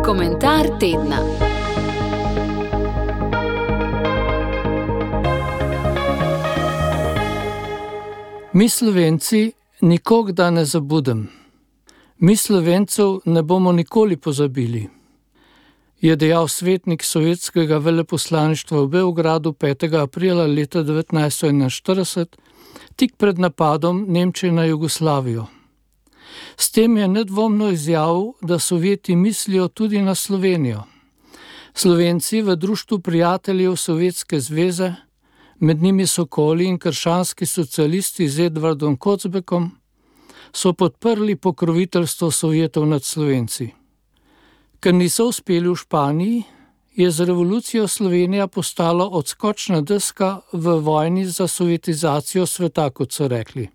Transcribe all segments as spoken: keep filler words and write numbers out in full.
Komentar tedna. Mi Slovenci nikogda ne zabudem. Mi Slovencev ne bomo nikoli pozabili, je dejal svetnik sovjetskega veleposlaništva v Beogradu petega aprila leta devetnajststo enainštirideset, tik pred napadom Nemčije na Jugoslavijo. S tem je nedvomno izjavil, da Sovjeti mislijo tudi na Slovenijo. Slovenci v Društvu prijateljev Sovjetske zveze, med njimi Sokoli in krščanski socialisti z Edvardom Kocbekom, so podprli pokroviteljstvo Sovjetov nad Slovenci. Ker niso uspeli v Španiji, je z revolucijo Slovenija postala odskočna deska v vojni za sovjetizacijo sveta, kot so rekli.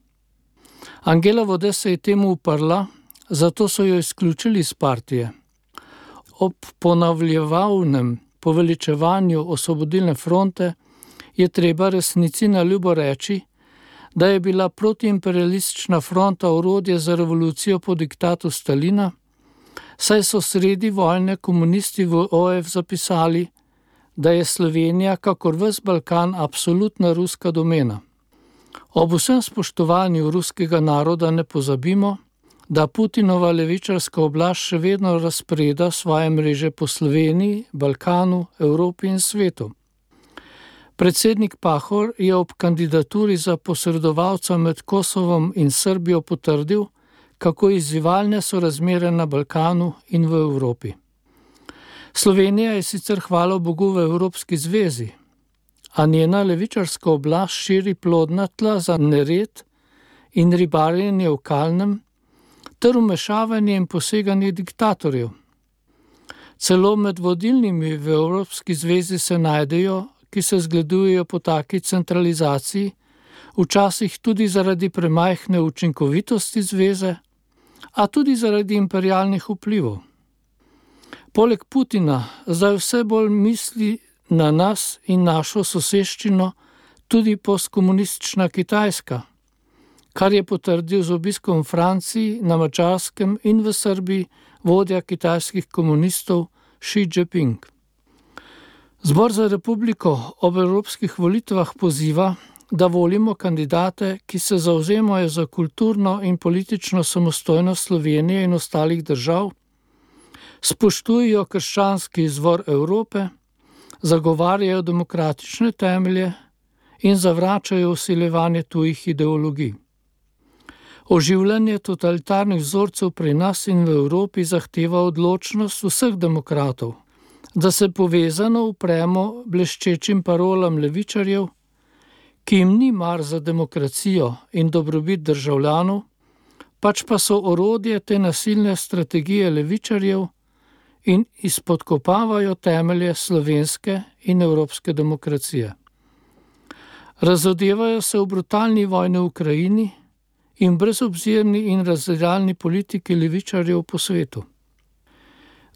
Angela Vode se je temu uprla, zato so jo izključili iz partije. Ob ponavljevalnem poveličevanju Osvobodilne fronte je treba resnici na ljubo reči, da je bila protiimperialistična fronta orodje za revolucijo po diktatu Stalina, saj so sredi vojne komunisti v O F zapisali, da je Slovenija, kakor ves Balkan, absolutna ruska domena. Ob vsem spoštovanju ruskega naroda ne pozabimo, da Putinova levičarska oblast še vedno razpreda svoje mreže po Sloveniji, Balkanu, Evropi in svetu. Predsednik Pahor je ob kandidaturi za posredovalca med Kosovom in Srbijo potrdil, kako izzivalne so razmere na Balkanu in v Evropi. Slovenija je sicer hvala Bogu v Evropski zvezi, a njena levičarska oblast širi plodna tla za nered in ribarjenje v kalnem ter vmešavanje in poseganje diktatorjev. Celo med vodilnimi v Evropski zvezi se najdejo, ki se zgledujejo po taki centralizaciji, včasih tudi zaradi premajhne učinkovitosti zveze, a tudi zaradi imperialnih vplivov. Poleg Putina zdaj vse bolj misli na nas in našo soseščino tudi postkomunistična Kitajska, kar je potrdil z obiskom v Franciji, na Madžarskem in v Srbiji vodja kitajskih komunistov Xi Jinping. Zbor za republiko ob evropskih volitvah poziva, da volimo kandidate, ki se zavzemajo za kulturno in politično samostojnost Slovenije in ostalih držav, spoštujejo krščanski izvor Evrope, zagovarjajo demokratične temelje in zavračajo vsiljevanje tujih ideologij. Oživljanje totalitarnih vzorcev pri nas in v Evropi zahteva odločnost vseh demokratov, da se povezano upremo bleščečim parolam levičarjev, ki jim ni mar za demokracijo in dobrobit državljanov, pač pa so orodje te nasilne strategije levičarjev in izpodkopavajo temelje slovenske in evropske demokracije. Razodevajo se v brutalni vojni v Ukrajini in brezobzirni in razdiralni politiki levičarjev po svetu.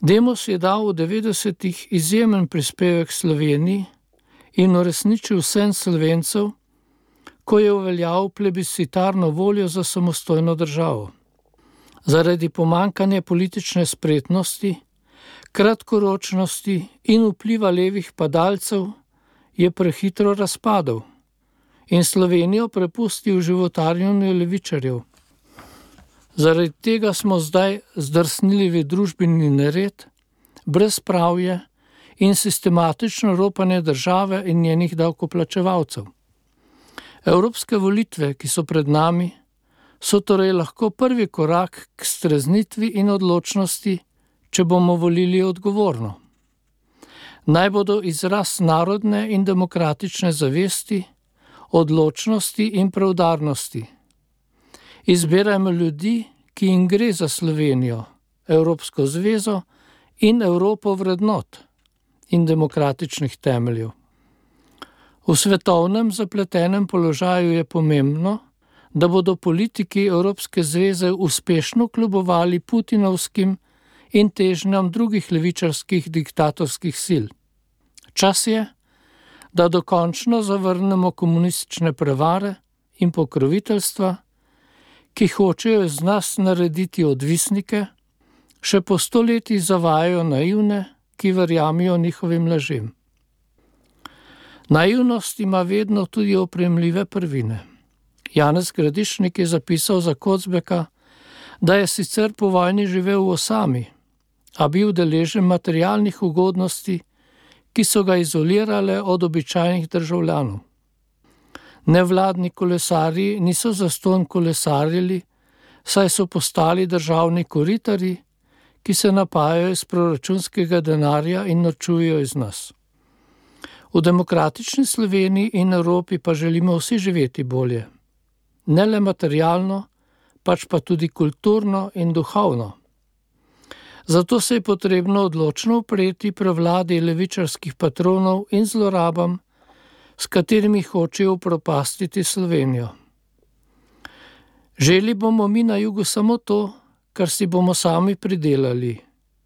Demos je dal v devetdesetih izjemen prispevek Sloveniji in uresničil sen Slovencev, ko je uveljavil plebiscitarno voljo za samostojno državo. Zaradi pomanjkanja politične spretnosti, kratkoročnosti in vpliva levih padalcev je prehitro razpadel in Slovenijo prepustil životarjenju levičarjev. Zaradi tega smo zdaj zdrsnili v družbeni nered, brezpravje in sistematično ropanje države in njenih davkoplačevalcev. Evropske volitve, ki so pred nami, so torej lahko prvi korak k streznitvi in odločnosti, če bomo volili odgovorno. Naj bodo izraz narodne in demokratične zavesti, odločnosti in preudarnosti. Izberajmo ljudi, ki jim gre za Slovenijo, Evropsko zvezo in Evropo vrednot in demokratičnih temeljev. V svetovnem zapletenem položaju je pomembno, da bodo politiki Evropske zveze uspešno kljubovali putinovskim in težnjam drugih levičarskih diktatorskih sil. Čas je, da dokončno zavrnemo komunistične prevare in pokroviteljstva, ki hočejo iz nas narediti odvisnike Še po stoletjih zavajajo naivne, ki verjamijo njihovim lažem. Naivnost ima vedno tudi opremljive prvine. Janez Gradišnik je zapisal za Kocbeka, da je sicer po vojni živel v osami, a bil deležen materialnih ugodnosti, ki so ga izolirale od običajnih državljanov. Nevladni kolesarji niso zastonj kolesarili, saj so postali državni koritari, ki se napajajo iz proračunskega denarja in norčujejo iz nas. V demokratični Sloveniji in Evropi pa želimo vsi živeti bolje. Ne le materialno, pač pa tudi kulturno in duhovno. Zato se je potrebno odločno upreti prevladi levičarskih patronov in zlorabam, s katerimi hočejo upropastiti Slovenijo. Želi bomo mi na jugu samo to, kar si bomo sami pridelali,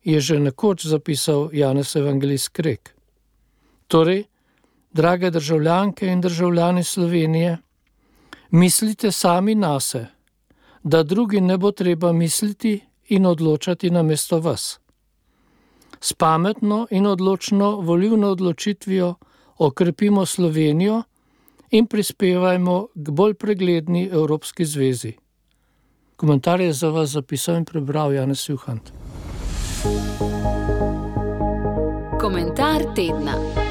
je že nekoč zapisal Janez Evangelist Krek. Torej, drage državljanke in državljani Slovenije, mislite sami nase, da drugi ne bo treba misliti in odločati namesto vas. S pametno in odločno volilno odločitvijo okrepimo Slovenijo in prispevajmo k bolj pregledni Evropski zvezi. Komentar je za vas zapisal in prebral Janez Juhant. Komentar tedna.